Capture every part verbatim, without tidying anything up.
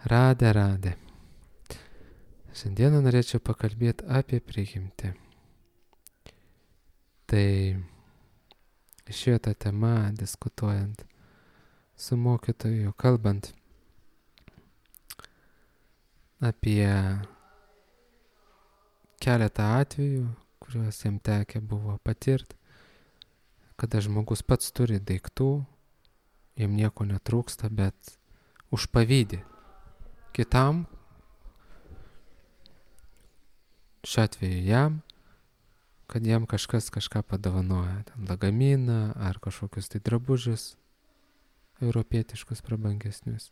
Radė, radė. Šiandieną norėčiau pakalbėti apie prigimtį. Tai išėjo ta tema, diskutuojant su mokytoju, kalbant apie keletą atvejų, kuriuos jam tekę buvo patirti, kada žmogus pats turi daiktų, jam nieko netrūksta, bet užpavydį kitam, šiuo atveju jam, kad jam kažkas kažką padovanoja, ten lagaminą ar kažkokius tai drabužius, europietiškus prabangesnius.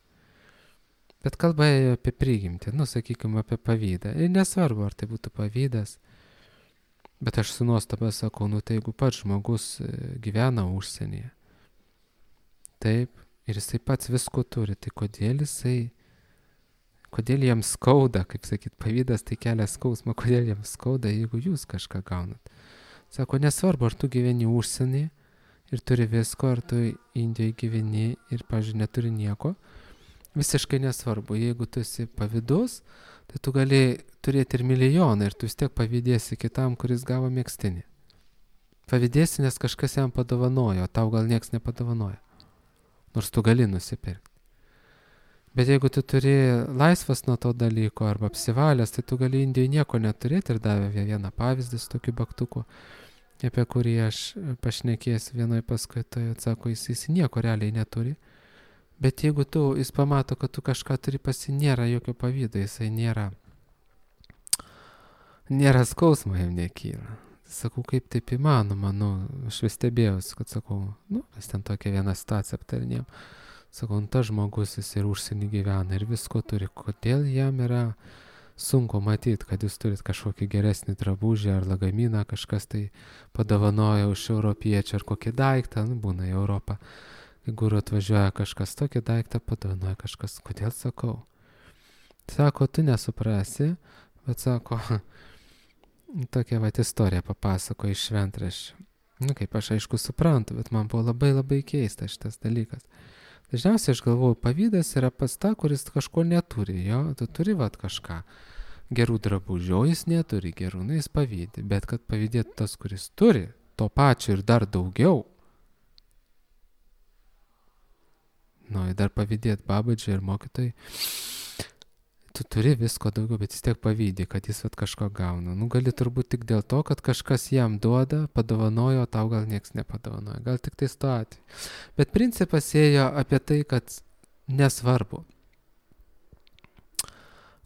Bet kalba ėjo apie prigimtį, nu sakykime apie pavydą. Ir nesvarbu, ar tai būtų pavydas, bet aš su nuostaba sakau, nu tai jeigu pats žmogus gyvena užsienyje, taip, ir jisai pats visko turi, tai kodėl jisai, kodėl jam skauda, kaip sakyt, pavydas tai kelia skausmą, kodėl jam skauda, jeigu jūs kažką gaunat. Sako, nesvarbu, ar tu gyveni užsienyje ir turi visko, ar tu Indijoje gyveni ir, pavyzdžiui, neturi nieko, visiškai nesvarbu, jeigu tu esi pavydus, tai tu gali turėti ir milijoną ir tu vis tiek pavydėsi kitam, kuris gavo megztinį. Pavydėsi, nes kažkas jam padovanojo, o tau gal nieks nepadovanojo, nors tu gali nusipirkti. Bet jeigu tu turi laisvas nuo to dalyko arba apsivalęs, tai tu gali Indijoje nieko neturėti ir davė vieną pavyzdį su tokiu baktuku, apie kurį aš pašnekėsiu vienoje paskaitoje, atsako, jis, jis nieko realiai neturi. Bet jeigu tu, jis pamato, kad tu kažką turi, pasi nėra jokio pavydo, jisai nėra, nėra skausmo jam nekyla. Sakau, kaip taip įmanoma, nu, aš vis stebėjausi, kad sakau, nu, mes ten tokią vieną situaciją aptarinėjom. Sakau, nu, tas žmogus, jis ir užsienį gyvena ir visko turi, kodėl jam yra sunku matyti, kad jūs turit kažkokį geresnį drabužį ar lagaminą, kažkas tai padovanoja už europiečių ar kokį daiktą, nu, būna į Europą. Jeigu atvažiuoja kažkas tokį daiktą, padovanoja kažkas, kodėl sakau? Sako, tu nesuprasi, bet sako, tokia vat istorija papasako iš šventraščių. Nu, kaip aš aišku suprantu, bet man buvo labai labai keista šitas dalykas. Dažniausiai aš galvoju, pavydas yra pas tą, kuris kažko neturi, jo, tu turi vat kažką, gerų drabužių, o jis neturi gerų, nu jis pavydi, bet kad pavydėtų tas, kuris turi, to pačio ir dar daugiau, nu ir dar pavydėti babadžiai ir mokytojai, tu turi visko daugiau, bet vis tiek pavydė, kad jis vat kažko gauna. Nu, gali turbūt tik dėl to, kad kažkas jam duoda, padovanojo, tau gal nieks nepadovanojo. Gal tik tai sto atveju. Bet principas ėjo apie tai, kad nesvarbu,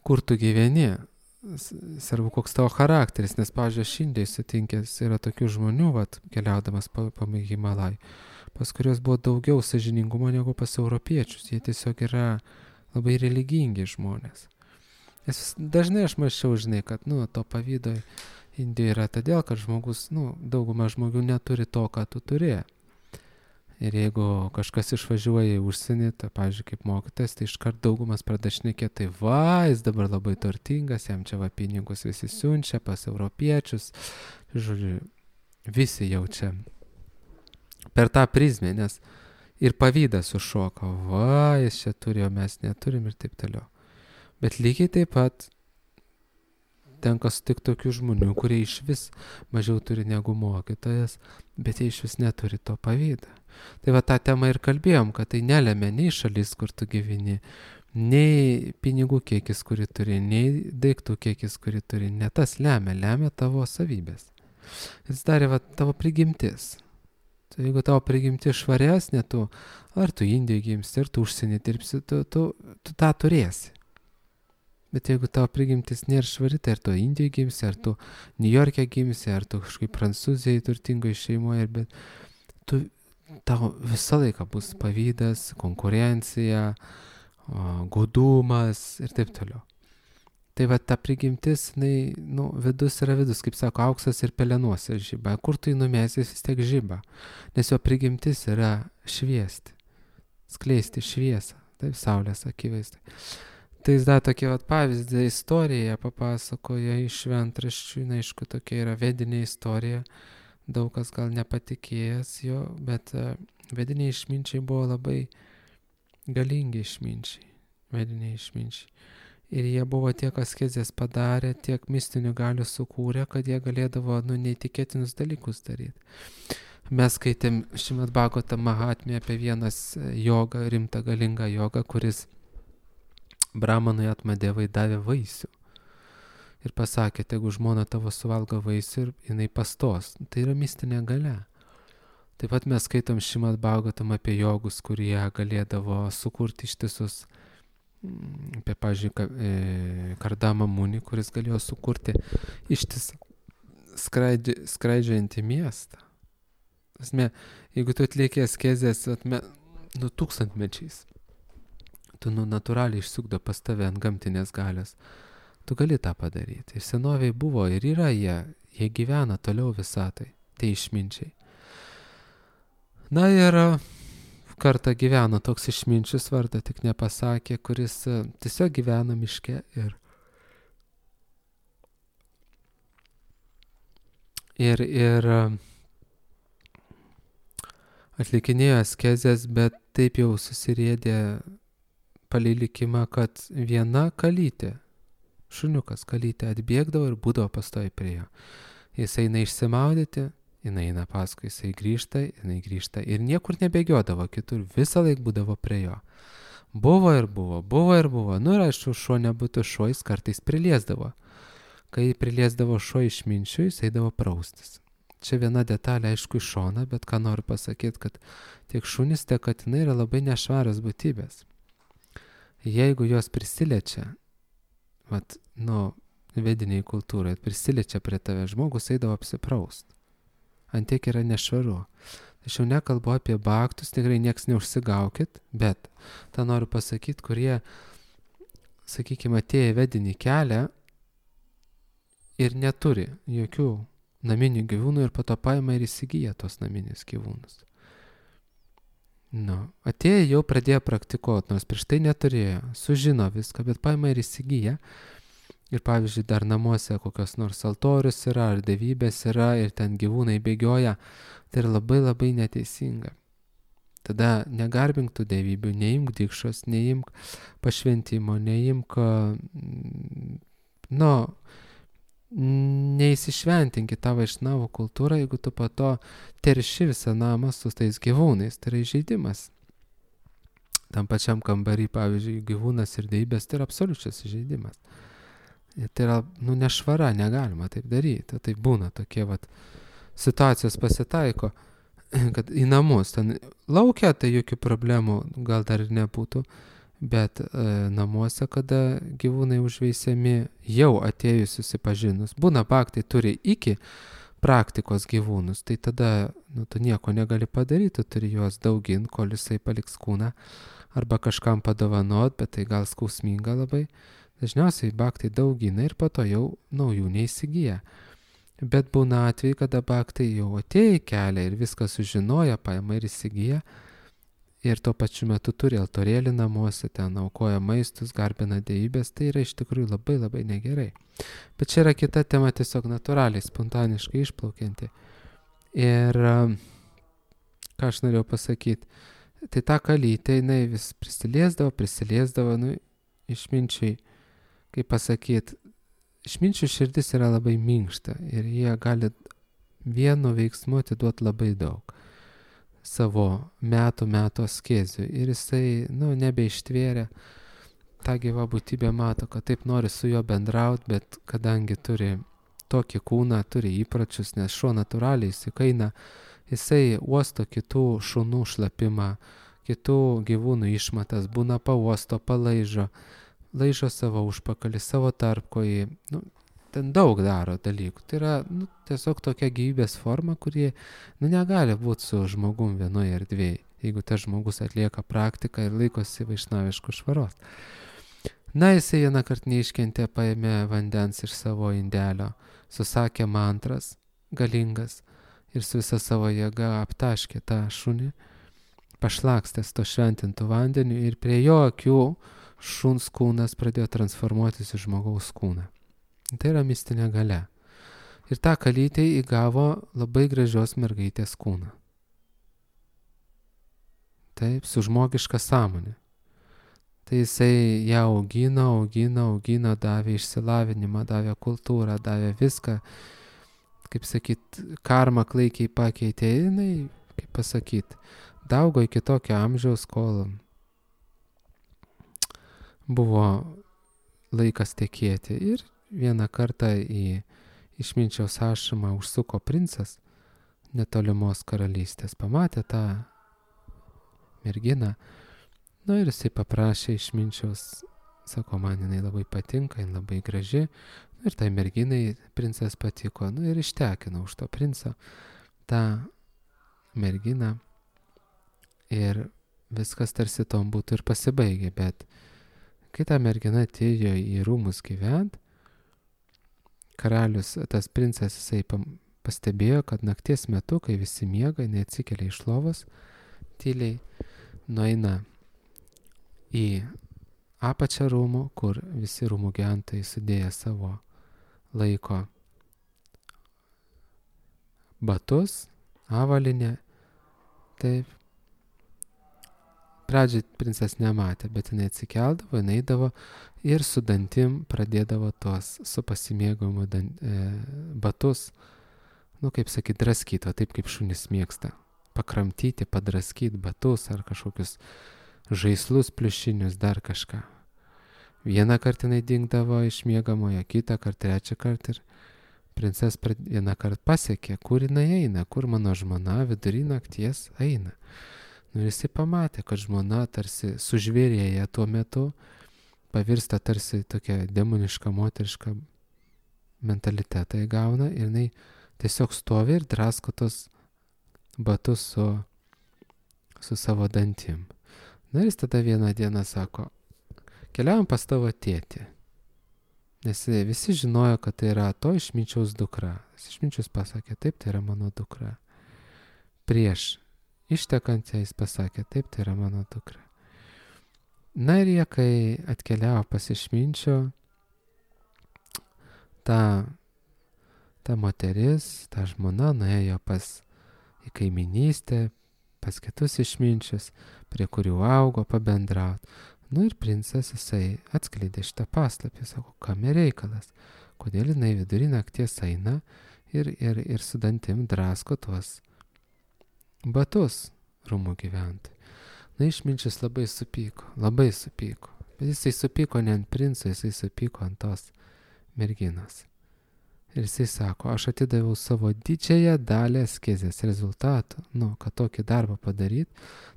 kur tu gyveni, svarbu koks tavo charakteris, nes, pavyzdžiui, aš Indijai sutinkęs yra tokių žmonių, vat, keliaudamas po, po Himalajų, pas kurios buvo daugiau sąžiningumo negu pas europiečius. Jie tiesiog yra labai religingi žmonės. Nes dažnai aš mačiau, žinai, kad, nu, to pavydo Indijoje yra todėl, kad žmogus, nu, dauguma žmonių neturi to, ką tu turi. Ir jeigu kažkas išvažiuoja į užsienį, tai, pavyzdžiui, kaip mokytojas, tai iškart daugumas pradeda šnekėti, tai va, jis dabar labai turtingas, jam čia va pinigus visi siunčia pas europiečius. Žodžiu, visi jaučia per tą prizmę, nes ir pavydas sušoka, va, jis čia turi, o mes neturim ir taip toliau. Bet lygiai taip pat tenka sutikti tokių žmonių, kurie iš vis mažiau turi negu mokytojas, bet jie iš vis neturi to pavydą. Tai va tą temą ir kalbėjom, kad tai nelemia nei šalis, kur tu gyveni, nei pinigų kiekis, kurį turi, nei daiktų kiekis, kurį turi. Ne tas lemia, lemia tavo savybės. Jis darė va tavo prigimtis. Tai jeigu tavo prigimtis švaresnė, tu, ar tu Indijoje gimsi, ar tu užsienį dirbsi, tu, tu, tu tą turėsi. Bet jeigu tavo prigimtis nėra švari, tai ar tu Indijoje gimsi, ar tu Niujorke gimsi, ar tu kažkaip Prancūzijoje turtingoje šeimoje, bet tu, tau visą laiką bus pavydas, konkurencija, godumas ir taip toliau. Tai va ta prigimtis, jinai, nu, vidus yra vidus, kaip sako, auksas ir pelenuose žiba. Kur tu jį numesi, vis tiek žiba. Nes jo prigimtis yra šviesti, skleisti šviesą, taip, saulės akivaizdai. Tai jis dar tokia vat pavyzdį istoriją papasakoja iš šventraščių, na, aišku, tokia yra vedinė istorija, daug kas gal nepatikėjęs jo, bet vediniai išminčiai buvo labai galingi išminčiai. vediniai išminčiai. Ir jie buvo tiek askezės padarę, tiek mistinių galių sukūrę, kad jie galėdavo, nu, neįtikėtinus dalykus daryti. Mes skaitėm Šrimad Bhagavatam Mahatmę apie vienas jogą, rimtą galingą jogą, kuris Brahmanui Atmadevai davė vaisių. Ir pasakė, jeigu žmona tavo suvalgo vaisių ir jinai pastos. Tai yra mistinė galia. Taip pat mes skaitom Šrimad Bhagavatam apie jogus, kurie galėdavo sukurti ištisus, apie, pavyzdžiui, Kardama Muni, kuris galėjo sukurti ištisą skraidžiantį miestą. Asme, jeigu tu atlieki askezės, atme, nu, tūkstantmečiais, tu, nu, natūraliai išsukdo pas tave ant gamtinės galios, tu gali tą padaryti. Ir senoviai buvo ir yra jie, jie gyvena toliau visatai, tai išminčiai. Na ir kartą gyveno toks išminčius, vardą tik nepasakė, kuris tiesiog gyvena miške ir, ir, ir atlikinėjo askezės, bet taip jau susirėdė palei likimą, kad viena kalytė, šuniukas kalytė atbėgdavo ir būdavo pastoviai prie jo. Jis eina išsimaudyti, jinai eina paskui, jisai grįžta, jinai grįžta ir niekur nebėgiodavo kitur, visą laik būdavo prie jo. Buvo ir buvo, buvo ir buvo, nu ir aišku, šuo nebūtų šuo, jis kartais priliesdavo. Kai priliesdavo šuo išminčių, jis eidavo praustis. Čia viena detalė, aišku, iš šona, bet ką noriu pasakyti, kad tiek šunys, tiek katinai yra labai nešvarios būtybės. Jeigu jos prisiliečia, vat, nu, vediniai kultūrai, prisiliečia prie tave, žmogus eidavo apsipraust. Antiek yra nešvaru. Aš jau nekalbu apie baktus, tikrai nieks neužsigaukit, bet tą noriu pasakyti, kurie, sakykime, atėję vedinį kelią ir neturi jokių naminių gyvūnų ir po to paima ir įsigyja tos naminius gyvūnus. Nu, atėję jau pradėjo praktikuoti, nors prieš tai neturėjo, sužino viską, bet paima ir įsigyja. Ir pavyzdžiui, dar namuose kokios nors altorius yra, ar dievybės yra, ir ten gyvūnai bėgioja, tai yra labai labai neteisinga. Tada negarbink tų dievybių, neimk dikšos, neimk pašventimo, neimk, nu, neįsišventinkit tą vaišnavų kultūrą, jeigu tu po to terši visą namą su tais gyvūnais, tai yra įžeidimas. Tam pačiam kambarį, pavyzdžiui, gyvūnas ir dievybės, tai yra absoliučias įžeidimas. Tai yra, nu, nešvara, negalima taip daryti. Tai būna tokie, vat, situacijos pasitaiko, kad į namus, ten laukia, tai jokių problemų gal dar ir nebūtų, bet e, namuose, kada gyvūnai užveisiami, jau atėjus susipažinus, būna baktai turi iki praktikos gyvūnus, tai tada, nu, tu nieko negali padaryti, tu turi juos daugint, kol jisai paliks kūną, arba kažkam padovanot, bet tai gal skausminga labai. Dažniausiai baktai daugina ir po to jau naujų neįsigyja. Bet būna atvejai, kada baktai jau atėjo į kelią ir viską sužinoja, paima ir įsigyja. Ir tuo pačiu metu turi altorėlį namuose, ten aukoja maistus, garbina dievybės, tai yra iš tikrųjų labai labai negerai. Bet čia yra kita tema, tiesiog natūraliai, spontaniškai išplaukianti. Ir ką aš norėjau pasakyti, tai ta kalytė, jinai vis prisiliesdavo, prisiliesdavo, nu, išminčiai, kaip pasakyti, išminčių širdis yra labai minkšta ir jie gali vienu veiksmu atiduoti labai daug savo metų metų askezių. Ir jisai, nu, nebeištvėrė, ta gyva būtybė mato, kad taip nori su juo bendrauti, bet kadangi turi tokį kūną, turi įpročius, nes šuo natūraliai įsikaina, jisai uosto kitų šunų šlapimą, kitų gyvūnų išmatas, būna pauosto, palaižo, laižo savo užpakalį, savo tarpkojį, nu, ten daug daro dalykų. Tai yra, nu, tiesiog tokia gyvybės forma, kuri, nu, negali būti su žmogum vienoje erdvėje, jeigu tas žmogus atlieka praktiką ir laikosi vaišnaviškų švaros. Na, jisai vieną kartą neiškentė, paėmė vandens iš savo indelio, susakė mantras galingas ir su visa savo jėga aptaškė tą šunį, pašlakstęs to šventintų vandeniu ir prie jo akių šuns kūnas pradėjo transformuotis į žmogaus kūną. Tai yra mistinė galia. Ir ta kalytė įgavo labai gražios mergaitės kūną. Taip, su žmogiška sąmonė. Tai jisai ją augino, augino, augino, davė išsilavinimą, davė kultūrą, davė viską. Kaip sakyt, karma klaikiai pakeitė, jinai, kaip pasakyt, daugo iki tokio amžiaus, kol buvo laikas tekėti. Ir vieną kartą į išminčiaus ašramą užsuko princas netolimos karalystės, pamatė tą merginą, nu ir jisai paprašė išminčiaus, sako, man jinai labai patinka, jinai labai graži, nu ir tai merginai princas patiko, nu ir ištekino už to princo tą merginą ir viskas tarsi tom būtų ir pasibaigė, bet kai ta mergina atėjo į rūmus gyvent, karalius, tas princas, jisai pastebėjo, kad nakties metu, kai visi miega, jinai atsikelia iš lovos, tyliai nueina į apačią rūmų, kur visi rūmų gyventojai sudėję savo laiko batus, avalynę, taip. Pradžiai princas nematė, bet jinai atsikeldavo, jinai eidavo ir su dantim pradėdavo tuos su pasimėgavimu dan, e, batus, nu kaip sakyt, draskyti, o taip kaip šunys mėgsta, pakramtyti, padraskyti batus ar kažkokius žaislus pliušinius, dar kažką. Vieną kartą jinai dingdavo iš miegamojo, kitą kartą, trečią kartą ir princas vieną kartą pasiekė, kur jinai eina, kur mano žmona vidury nakties eina. Nu ir jisai pamatė, kad žmona tarsi sužvėrėja tuo metu, pavirsta tarsi tokia demoniška, moteriška mentalitetą įgauna ir jinai tiesiog stovi ir drasko tos batus su, su savo dantim. Na ir jis tada vieną dieną sako, keliaujam pas tavo tėtį. Nes visi žinojo, kad tai yra to išminčiaus dukra. Išminčius pasakė, taip, tai yra mano dukra. Prieš ištekant jis pasakė, taip, tai yra mano dukra. Na ir jie, kai atkeliavo pas išminčio, ta, ta moteris, ta žmona nuėjo pas į kaiminystę, pas kitus išminčius, prie kurių augo pabendrauti. Nu ir princas jisai atskleidė šitą paslapį, sako, kam reikalas, kodėl jinai vidury nakties eina ir, ir, ir su dantim drasko tuos batus rūmų gyventojai. Na, išminčius labai supyko, labai supyko. Bet jisai supyko ne ant princo, jisai supyko ant tos merginos. Ir jisai sako, aš atidaviau savo didžiąją dalį askezės rezultatų. Nu, kad tokį darbą padaryti,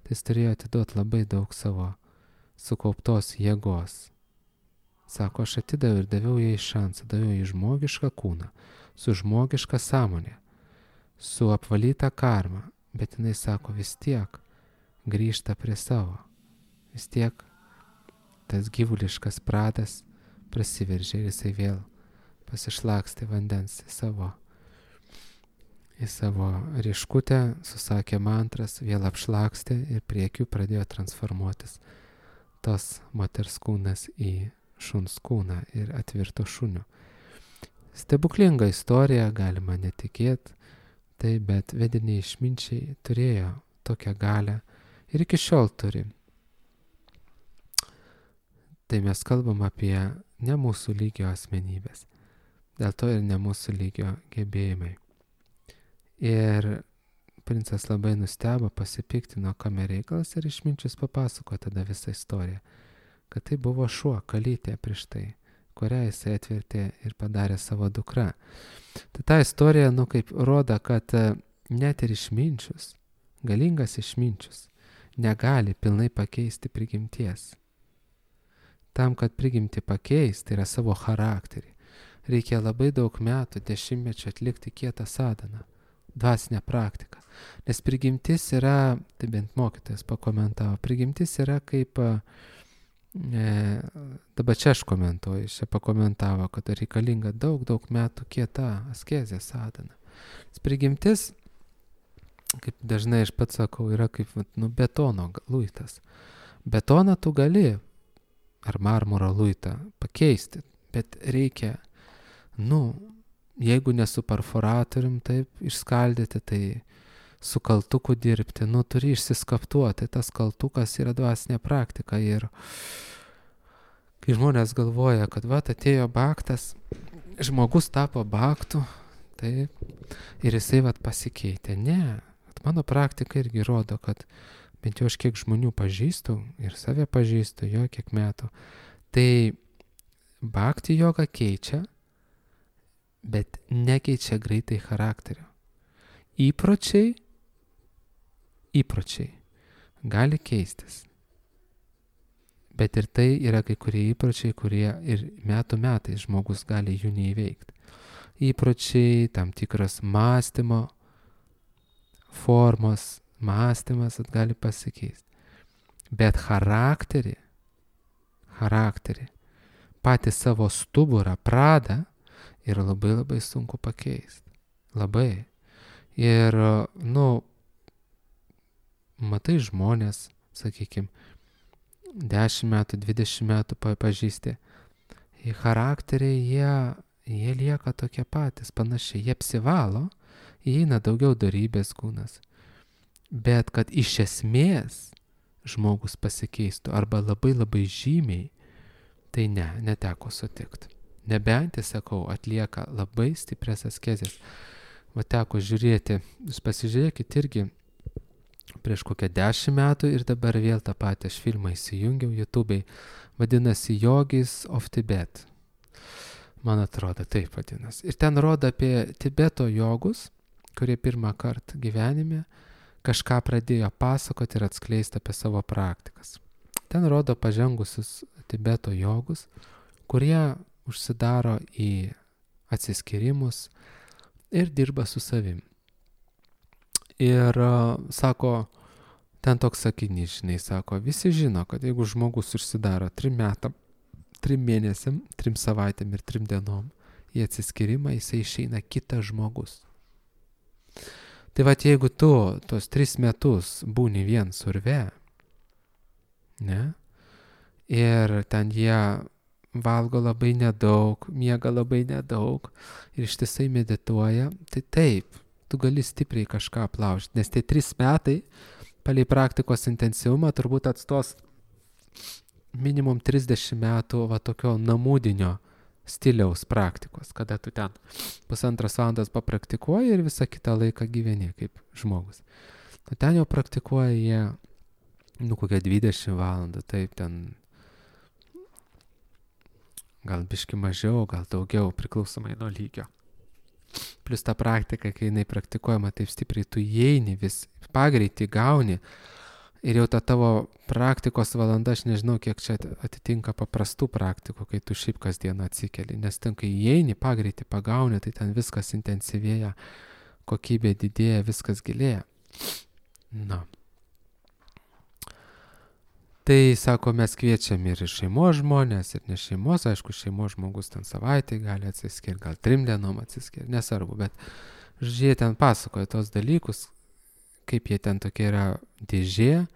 tai jis turėjo atiduoti labai daug savo sukauptos jėgos. Sako, aš atidaviau ir daviau jai šansą, daviau jai žmogišką kūną, su žmogiška sąmonė, su apvalyta karma. Bet jinai sako, vis tiek grįžta prie savo. Vis tiek tas gyvuliškas pradas prasiveržė ir jisai vėl pasišlakstė vandens į savo, į savo rieškutę, susakė mantras, vėl apšlakstė ir priekiu pradėjo transformuotis tos moters kūnas į šuns kūną ir atvirto šuniu. Stebuklinga istorija, galima netikėti. Tai, bet vediniai išminčiai turėjo tokią galią ir iki šiol turi. Tai mes kalbam apie ne mūsų lygio asmenybės, dėl to ir ne mūsų lygio gebėjimai. Ir princas labai nustebo, pasipiktino, kame reikalas ir išminčius papasako tada visą istoriją, kad tai buvo šuo, kalytė prieš tai, kurią jisai atvertė ir padarė savo dukra. Tai ta istorija, nu, kaip rodo, kad net ir išminčius, galingas išminčius, negali pilnai pakeisti prigimties. Tam, kad prigimti pakeisti, tai yra savo charakterį, reikia labai daug metų, dešimtmečių atlikti kietą sadhaną, dvasinę praktiką. Nes prigimtis yra, tai bent mokytojas pakomentavo, prigimtis yra kaip... E, dabar čia aš komentuoju, čia pakomentavo, kad reikalinga daug, daug metų kieta askezė sadhana. Prigimtis, kaip dažnai aš pats sakau, yra kaip nu, betono luitas. Betoną tu gali, ar marmuro luitą, pakeisti, bet reikia, nu, jeigu ne su perforatorium taip išskaldyti, tai su kaltuku dirbti, nu, turi išsiskaptuoti, tas kaltukas yra dvasinė praktika ir kai žmonės galvoja, kad va, atėjo baktas, žmogus tapo baktu, taip, ir jisai va pasikeitė. Ne, mano praktika irgi rodo, kad bent jau aš kiek žmonių pažįstu ir save pažįstu, jo kiek metų, tai bhakti joga keičia, bet nekeičia greitai charakterio. Įpročiai, įpročiai gali keistis. Bet ir tai yra kai kurie įpročiai, kurie ir metų metais žmogus gali jų neįveikti. Įpročiai, tam tikras mąstymo formos, mąstymas gali pasikeisti. Bet charakterį, charakterį, patį savo stuburą, pradą yra labai labai sunku pakeisti. Labai. Ir, nu, matai žmonės, sakykime, dešimt metų, dvidešimt metų pažįsti. Į charakteriai jie, jie lieka tokie patys, panašiai. Jie apsivalo, įeina daugiau dorybės kūnas. Bet kad iš esmės žmogus pasikeistų arba labai labai žymiai, tai ne, neteko sutikti. Nebent, sakau, atlieka labai stiprias askezės. Va teko žiūrėti, jūs pasižiūrėkit irgi prieš kokią dešimt metų ir dabar vėl tą patį aš filmą įsijungiau YouTube'ai, vadinasi Yogis of Tibet. Man atrodo, taip vadinasi. Ir ten rodo apie Tibeto jogus, kurie pirmą kartą gyvenime kažką pradėjo pasakoti ir atskleisti apie savo praktikas. Ten rodo pažengusius Tibeto jogus, kurie užsidaro į atsiskyrimus ir dirba su savim. Ir uh, sako, ten toks sakinys, žinai, sako, visi žino, kad jeigu žmogus užsidaro trim metam, trim mėnesiam, trim savaitėm ir trim dienom į atsiskyrimą, jisai išeina kitas žmogus. Tai vat jeigu tu tos tris metus būni vien surve, ne, ir ten jie valgo labai nedaug, miega labai nedaug ir ištisai medituoja, tai taip, tu gali stipriai kažką aplaužti, nes tie trys metai palei praktikos intensyvumą turbūt atstos minimum trisdešimt metų va tokio namudinio stiliaus praktikos, kada tu ten pusantros valandos papraktikuoji ir visą kitą laiką gyveni kaip žmogus. O ten jau praktikuoja jie, nu, kokią dvidešimt valandų, taip ten gal biški mažiau, gal daugiau, priklausomai nuo lygio. Plus ta praktika, kai jinai praktikuojama taip stipriai, tu įeini, vis pagreitį gauni ir jau ta tavo praktikos valanda, aš nežinau, kiek čia atitinka paprastų praktikų, kai tu šiaip kasdieną atsikeli, nes ten, kai įeini, pagreitį pagauni, tai ten viskas intensyvėja, kokybė didėja, viskas gilėja. Na. Tai, sako, mes kviečiam ir šeimos žmonės, ir ne šeimos, aišku, šeimos žmogus ten savaitę gali atsiskirti, gal trim dienom atsiskirti, nesvarbu, bet jie ten pasakoja tos dalykus, kaip jie ten tokia yra dėžė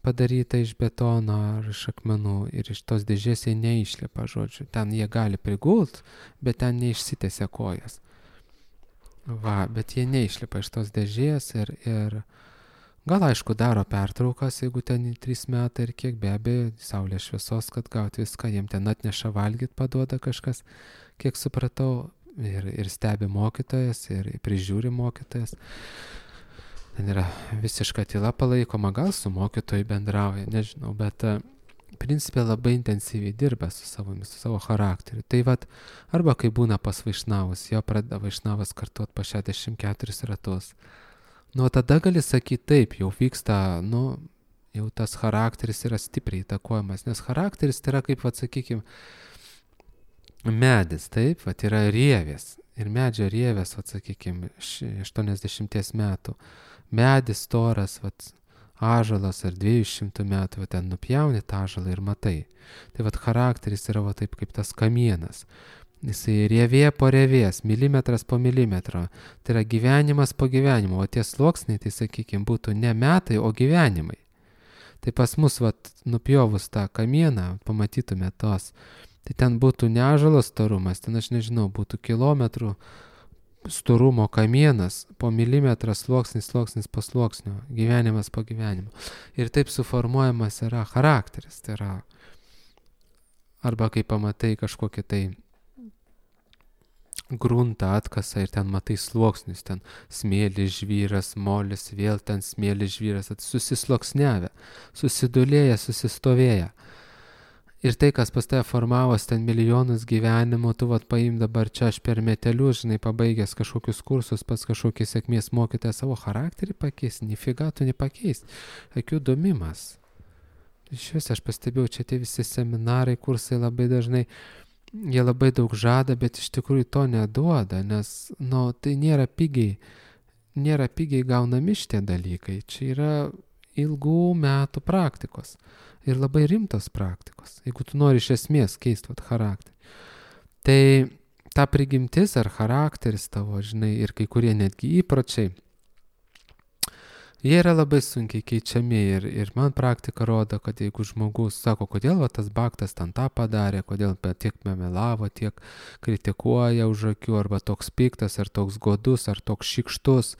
padaryta iš betono ar iš akmenų ir iš tos dėžės jie neišlipa, žodžiu, ten jie gali prigult, bet ten neišsitęsia kojas. Va, bet jie neišlipa iš tos dėžės ir... ir gal, aišku, daro pertraukas, jeigu ten trys metai ir kiek, be abejo, saulės šviesos, kad gauti viską, jiem ten atneša valgyt, paduoda kažkas, kiek supratau, ir, ir stebi mokytojas, ir prižiūri mokytojas. Ten yra visiška tyla palaikoma, gal su mokytoju bendrauja, nežinau, bet principė labai intensyviai dirba su savo, su savo charakteriu. Tai vat, arba kai būna pas vaišnavus, jo pradeda vaišnavas kartuot po šešiasdešimt keturis ratus. Nu, tada gali sakyti taip, jau vyksta, nu, jau tas charakteris yra stipriai įtakojamas, nes charakteris tai yra kaip, vat, sakykime, medis, taip, vat, yra rievės. Ir medžio rievės, vat, sakykime, aštuoniasdešimties metų. Medis storas, vat, ąžuolas ar dviejų šimtų metų, vat, ten nupjauni tą ąžuolą ir matai. Tai vat, charakteris yra vat, taip kaip tas kamienas. Jisai rievė po rievės, milimetras po milimetro. Tai yra gyvenimas po gyvenimo. O tie sluoksniai, tai sakykime, būtų ne metai, o gyvenimai. Tai pas mus, vat, nupjovus tą kamieną, pamatytume tos. Tai ten būtų ne ąžuolas storumas, ten aš nežinau, būtų kilometrų storumo kamienas, po milimetrą sluoksnis, sluoksnis po sluoksnio, gyvenimas po gyvenimo. Ir taip suformuojamas yra charakteris. Tai yra Arba kai pamatai kažkokį tai gruntą atkasa ir ten matai sluoksnius, ten smėlis žvyras, molis, vėl ten smėlis žvyras, susisloksniavę, susidulėję, susistovėję. Ir tai, kas pas tave formavos ten milijonus gyvenimų, tu vat paim dabar čia aš per metelius, žinai, pabaigęs kažkokius kursus, pas kažkokį sėkmės mokytoją savo charakterį pakeis, nifiga tu nepakeis, akių domimas. Iš vis aš pastebėjau, čia tie visi seminarai, kursai labai dažnai, jie labai daug žada, bet iš tikrųjų to neduoda, nes, nu, tai nėra pigiai, nėra pigiai gaunami šitie dalykai, čia yra ilgų metų praktikos. Ir labai rimtos praktikos, jeigu tu nori iš esmės keisti vat charakterį. Tai ta prigimtis ar charakteris tavo, žinai, ir kai kurie netgi įpročiai, jie yra labai sunkiai keičiami ir, ir man praktika rodo, kad jeigu žmogus sako, kodėl va, tas baktas ten tą padarė, kodėl tiek memelavo, tiek kritikuoja už akių, arba toks piktas, ar toks godus, ar toks šykštus,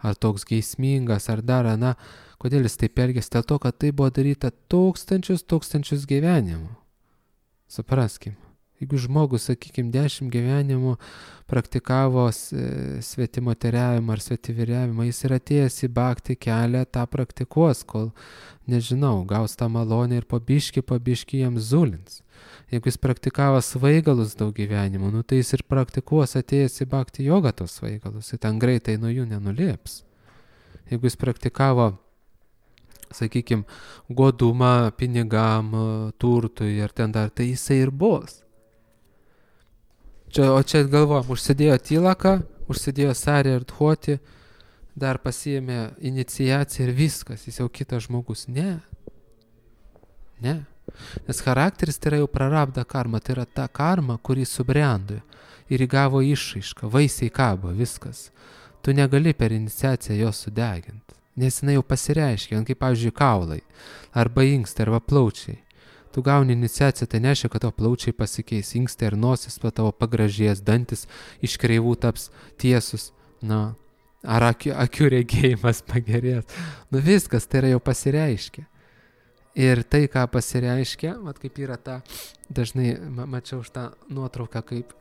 ar toks geismingas, ar dar, na, kodėl jis taip elgėsi, dėl to, kad tai buvo daryta tūkstančius, tūkstančius gyvenimų. Supraskim, jeigu žmogus, sakykime, dešimt gyvenimų praktikavo svetimoteriavimą ar svetiviriavimą, jis yra atėjęs į bhakti kelią, tą praktikuos, kol, nežinau, gaus tą malonę ir po biškį, po biškį jam zulins. Jeigu jis praktikavo svaigalus daug gyvenimų, nu tai jis ir praktikuos atėjęs į bhakti jogą tos svaigalus, ir ten greitai nuo jų nenulėps. Jeigu jis praktikavo, sakykime, godumą pinigam, turtui ir ten dar, tai jisai ir bus. Čia, o čia galvojam, užsidėjo tylaką, užsidėjo sarį ir dhuoti, dar pasiėmė iniciaciją ir viskas, jis jau kitas žmogus. Ne. Ne. Nes charakteris tai yra jau prarabda karma, tai yra ta karma, kurį subrendo ir įgavo išraišką, vaisiai kabo, viskas. Tu negali per iniciaciją jos sudeginti. Nes jinai jau pasireiškia, kaip, pavyzdžiui, kaulai, arba inkstai, arba plaučiai. Tu gauni iniciaciją, tai nereiškia, kad tavo plaučiai pasikeis, inkstai ir nosis tavo pagražės, dantis iš kreivų taps tiesus, na, ar akių, akių regėjimas pagerės. Nu viskas, tai yra jau pasireiškia. Ir tai, ką pasireiškia, mat kaip yra ta, dažnai ma mačiau už tą nuotrauką kaip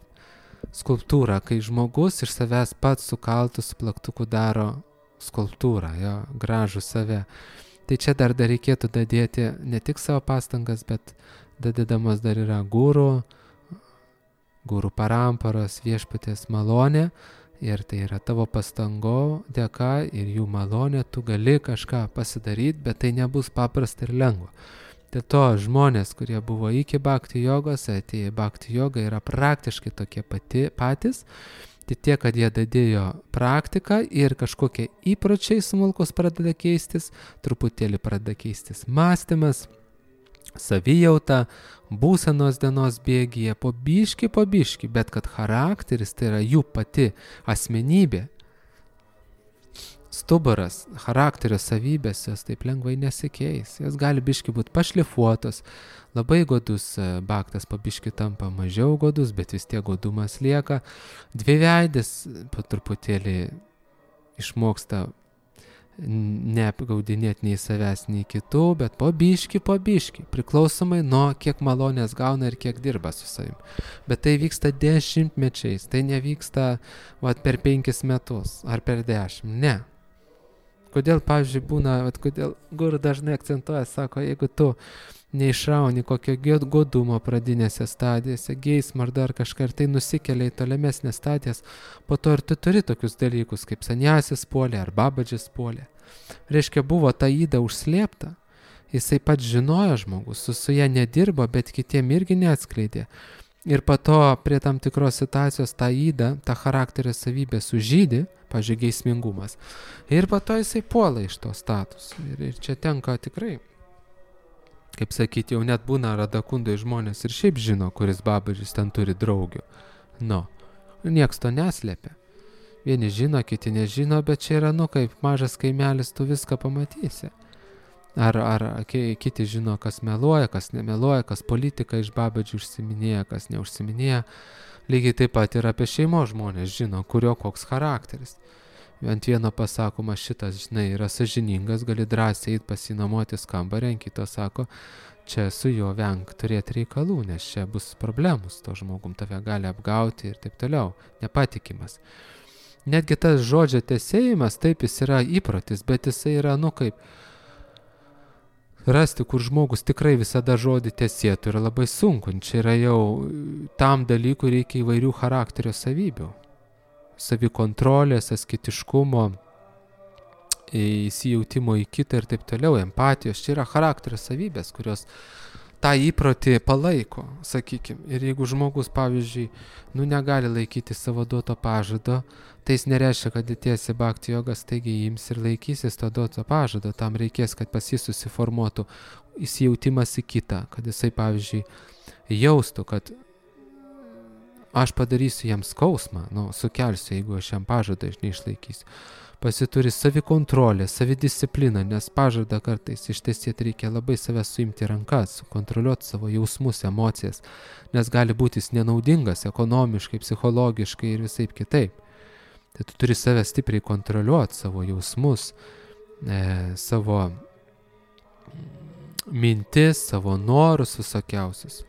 skulptūrą, kai žmogus iš savęs pats su kaltu, su plaktuku daro skulptūrą, jo, gražų save. Tai čia dar dar reikėtų dadėti ne tik savo pastangas, bet dadėdamas dar yra guru, guru paramparos, viešpaties malonė, ir tai yra tavo pastango dėka ir jų malonė, tu gali kažką pasidaryti, bet tai nebus paprasta ir lengva. Dėl to žmonės, kurie buvo iki bhakti jogos, atėjo bhakti joga, yra praktiškai tokie pati, patys, tai tiek, kad jie dadėjo praktiką ir kažkokie įpročiai smulkus pradeda keistis, truputėlį pradeda keistis mąstymas, savijauta, būsenos dienos bėgyje, po biškį, po biškį, bet kad charakteris, tai yra jų pati asmenybė, stuburas, charakterio savybės, jos taip lengvai nesikeis, jos gali biškį būti pašlifuotos, labai godus bhaktas po biškį tampa mažiau godus, bet vis tiek godumas lieka, dviveidis po truputėlį išmoksta neapgaudinėti nei savęs, nei kitų, bet po biškį, po biškį, priklausomai nuo kiek malonės gauna ir kiek dirba su savim. Bet tai vyksta dešimtmečiais, tai nevyksta vat, per penkis metus ar per dešimt, ne. Kodėl, pavyzdžiui, būna, vat, kodėl guru dažnai akcentuoja, sako, jeigu tu neišrauni kokio godumo pradinėse stadijose, geismo ar dar kažką, ir tai nusikelia į tolimesnės stadijas, po to ir tu turi tokius dalykus, kaip sanjasis puolė ar babadžis puolė. Reiškia, buvo ta yda užslėpta, jisai pats žinojo žmogus, su, su ją nedirbo, bet kitiem irgi neatskleidė. Ir po to prie tam tikros situacijos tą ydą, tą charakterio savybę sužydė, pavyzdžiui, geismingumas. Ir po to jisai puola iš to statusų. Ir, ir čia tenka tikrai, kaip sakyti, jau net būna radakundai žmonės ir šiaip žino, kuris babadžis ten turi draugių. Nu, nieks to neslėpia. Vieni žino, kiti nežino, bet čia yra, nu, kaip mažas kaimelis, tu viską pamatysi. Ar, ar kiti žino, kas meluoja, kas nemeluoja, kas politika iš babadžių užsiminėja, kas neužsiminėja. Lygiai taip pat ir apie šeimos žmonės žino, kurio koks charakteris. Ant vieno pasakoma šitas, žinai, yra sąžiningas, gali drąsiai eit pasinamuotis kambarį, ant kito sako, čia su juo venk turėti reikalų, nes čia bus problemus, to žmogum tave gali apgauti ir taip toliau, nepatikimas. Netgi tas žodžio tesėjimas, taip jis yra įprotis, bet jisai yra, nu kaip, rasti, kur žmogus tikrai visada žodį tesėtų, yra labai sunku. Čia yra jau tam dalykui reikia įvairių charakterio savybių. Savikontrolės, asketiškumo, įsijautimo į kitą ir taip toliau, empatijos. Čia yra charakterio savybės, kurios tą įprotį palaiko, sakykime. Ir jeigu žmogus, pavyzdžiui, nu negali laikyti savo duoto pažado, tai jis nereiškia, kad atėjęs į bhakti jogą staigiai ims ir laikysis to duoto pažado. Tam reikės, kad pas jį susiformuotų įsijautimas į kitą, kad jisai, pavyzdžiui, jaustų, kad aš padarysiu jam skausmą, nu, sukelsiu, jeigu aš jam pažadą neišlaikysiu. Pasituri savikontrolę, savidiscipliną, nes pažadą kartais ištesėti reikia labai save suimti rankas, sukontroliuoti savo jausmus, emocijas, nes gali būti jis nenaudingas ekonomiškai, psichologiškai ir visaip kitaip. Tai tu turi save stipriai kontroliuoti, savo jausmus, e, savo mintis, savo norus visokiausius.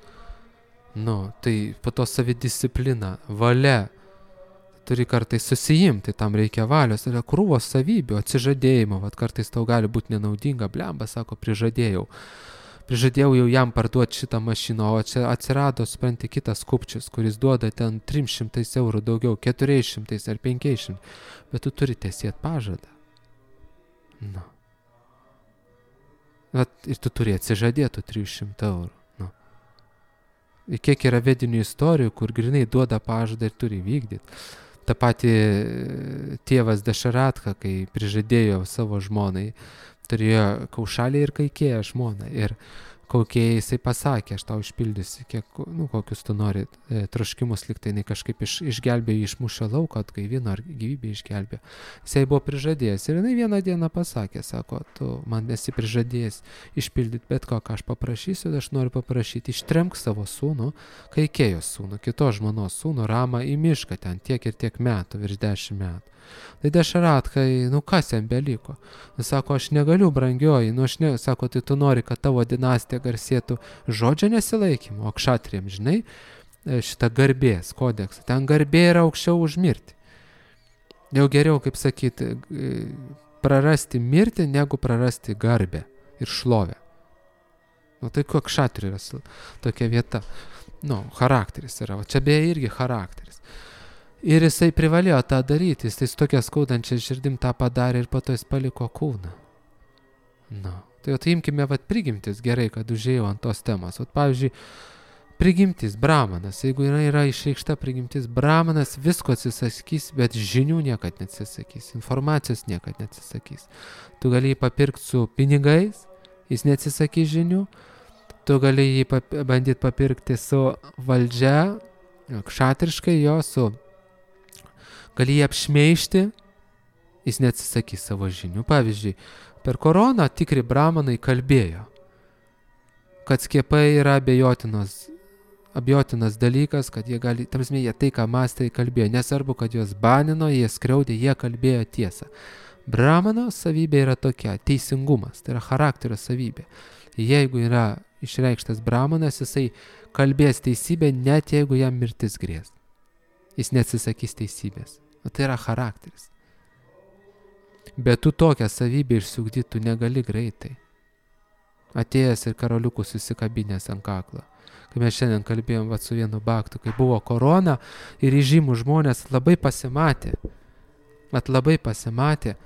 Nu, tai po to savidisciplina, valia, turi kartais susijimti, tam reikia valios, yra krūvos savybių, atsižadėjimo, vat kartais tau gali būti nenaudinga, blemba, sako, prižadėjau. Prižadėjau jau jam parduoti šitą mašiną, o čia atsirado, supranti, kitas kupčius, kuris duoda ten trim šimtais eurų daugiau, keturiais šimtais ar penkiais šimtais, bet tu turi tesėti pažadą. Nu. Vat, ir tu turi atsižadėti trijų šimtų eurų. Nu. Ir kiek yra vedinių istorijų, kur grinai duoda pažadą ir turi vykdyti. Ta pati tėvas Dašaratka, kai prižadėjo savo žmonai, turėjo Kaušalį ir Kaikėją žmoną. Ir Kaukėjai jisai pasakė, aš tau išpildysiu, kiek, nu, kokius tu nori e, troškimus, lyg tai jinai kažkaip iš, išgelbėjo, išmušė lauką, atgaivino ar gyvybę išgelbėjo. Jisai buvo prižadėjęs ir jinai vieną dieną pasakė, sako, tu man esi prižadėjęs išpildyti bet ko, ką aš paprašysiu, aš noriu paprašyti, ištrenk savo sūnų, Kaikėjos sūnų, kitos žmonos sūnų, Ramą į mišką ten tiek ir tiek metų, virš dešimt metų. Tai Dašaratkai, nu kas jam beliko? Jis sako, aš negaliu, brangioji, nu aš ne, sako, tai tu nori, kad tavo dinastija garsėtų žodžio nesilaikymu, o kšatriam, žinai, šitą garbės kodeksą. Ten garbė yra aukščiau už mirtį. Jau geriau, kaip sakyti, prarasti mirtį, negu prarasti garbę ir šlovę. Nu tai kuo kšatri yra tokia vieta. Nu, charakteris yra, o čia beje irgi charakteris. Ir jisai privalėjo tą daryti, jis tai su tokia skaudančia širdim tą padarė ir po to jis paliko kūną. Na, tai jau tai imkime, vat, prigimtis, gerai, kad užėjau ant tos temos. Vat, pavyzdžiui, prigimtis, brahmanas, jeigu yra, yra išreikšta prigimtis, brahmanas visko atsisakys, bet žinių niekad neatsisakys, informacijos niekad neatsisakys. Tu gali jį papirkti su pinigais, jis neatsisakys žinių, tu gali jį pap- bandyti papirkti su valdžia, kšatriškai jo, su gali jį apšmeižti, jis neatsisakys savo žinių. Pavyzdžiui, per koroną tikri brahmanai kalbėjo, kad skiepai yra abejotinas, abejotinas dalykas, kad jie gali, tamsme, jie tai, ką mąstė, kalbėjo. Nesvarbu, kad juos banino, jie skriaudė, jie kalbėjo tiesą. Brahmano savybė yra tokia, teisingumas, tai yra charakterio savybė. Jeigu yra išreikštas brahmanas, jisai kalbės teisybę, net jeigu jam mirtis grės. Jis neatsisakys teisybės. O tai yra charakteris. Bet tu tokią savybę išsiugdyti tu negali greitai. Atėjęs ir karoliukų susikabinės ant kaklo. Kai mes šiandien kalbėjom vat, su vienu baktu, kai buvo korona ir įžymų žmonės labai pasimatė. Vat labai pasimatė.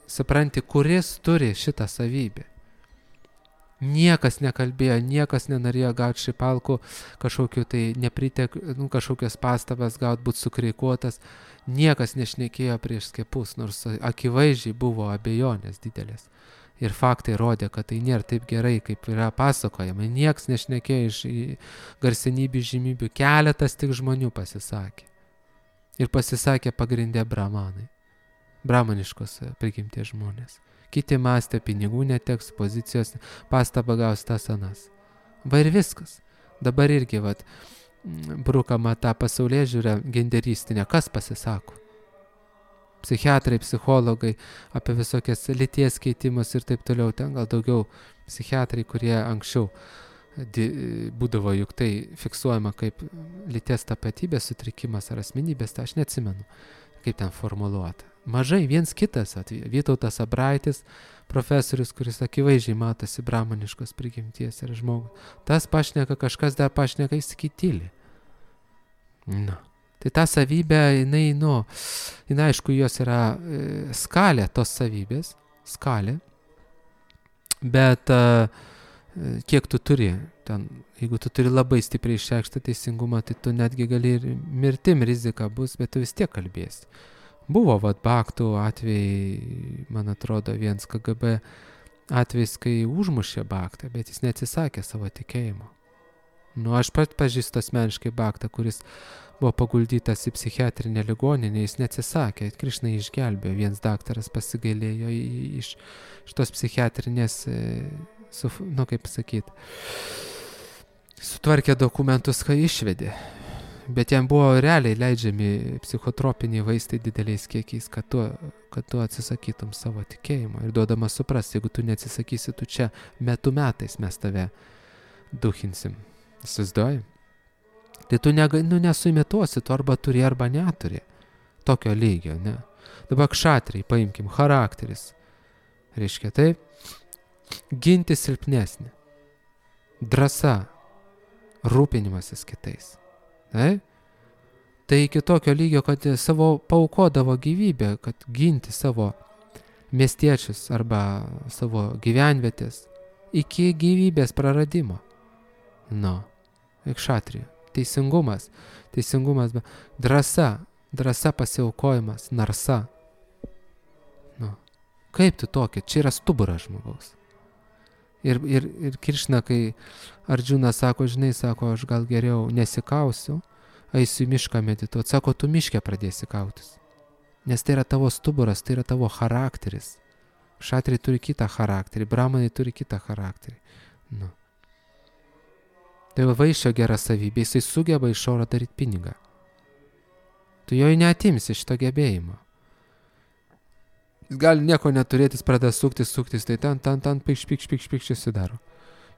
Supranti, kuris turi šitą savybę. Niekas nekalbėjo, niekas nenorėjo gauti šipalkų, kažkokiu tai nepritek, nu, kažkokios pastabas gauti, būti sukreikuotas. Niekas nešnekėjo prieš skiepus, nors akivaizdžiai buvo abejonės didelės. Ir faktai rodė, kad tai nėra taip gerai, kaip yra pasakojama. Niekas nešnekėjo iš garsenybių žymybių, keletas tik žmonių pasisakė. Ir pasisakė pagrindė brahmanai, brahmaniškos prigimties žmonės. Kiti mąstė, pinigų neteks, pozicijos, pastabą gaus tas anas. Va ir viskas. Dabar irgi, vat, brukama tą pasaulėžiūrę genderistinę. Kas pasisako? psichiatrai, psichologai, apie visokias lyties keitimus ir taip toliau. Ten gal daugiau psichiatrai, kurie anksčiau būdavo juk tai fiksuojama kaip lyties tapatybės sutrikimas ar asmenybės, tai aš neatsimenu, kaip ten formuluota. Mažai viens kitas atveju. Vytautas Abraitis, profesorius, kuris akivaizdžiai matosi bramaniškos prigimties ir žmogus. Tas pašneka, kažkas dar pašneka, jis kitylį. Nu. Tai ta savybė, jinai, nu, jinai aišku, jos yra e, skalė tos savybės, skalė, bet e, kiek tu turi, ten, jeigu tu turi labai stipriai išreikštą teisingumą, tai tu netgi gali ir mirtim rizika bus, bet tu vis tiek kalbėsi. Buvo vat Baktų atvejai, man atrodo, vienas K G B atvejs, kai užmušė Baktą, bet jis neatsisakė savo tikėjimo. Nu, aš pat pažįstu asmeniškai Baktą, kuris buvo paguldytas į psichiatrinę ligoninę, jis neatsisakė, Krišna jį išgelbėjo, vienas daktaras pasigailėjo iš, iš tos psichiatrinės, su, nu kaip sakyti, sutvarkė dokumentus, kai išvedė. Bet jam buvo realiai leidžiami psichotropiniai vaistai dideliais kiekiais, kad tu, kad tu atsisakytum savo tikėjimo. Ir duodama suprasti, jeigu tu neatsisakysi, tu čia metų metais mes tave duhinsim. Įsivaizduoji? Tai tu nega, nu, nesuimituosi, tu arba turi, arba neturi. Tokio lygio, ne? Dabar kšatriai, paimkim, charakteris. Reiškia taip, ginti silpnesnį. Drąsa, rūpinimasis kitais. Tai? Tai iki tokio lygio, kad savo paukodavo gyvybę, kad ginti savo miestiečius arba savo gyvenvietės iki gyvybės praradimo. Nu, kšatrija. Teisingumas, teisingumas, drąsa, drąsa pasiaukojimas, narsa. Nu, kaip tu tokia? Čia yra stuburas žmogaus. Ir, ir, ir Krišna, kai Ardžunas sako, žinai, sako, aš gal geriau nesikausiu, eisiu į mišką medituoti. Sako, tu miške pradėsi kautis. Nes tai yra tavo stuburas, tai yra tavo charakteris. Šatriai turi kitą charakterį, bramanai turi kitą charakterį. Nu. Tai vaišio gera savybė, jisai sugeba iš oro daryti pinigą. Tu jo neatimsi šito gebėjimo. Jis gali nieko neturėtis, pradeda suktis, suktis, tai ten, ten, ten, pikš, pikš, pikš, pikš, susidaro.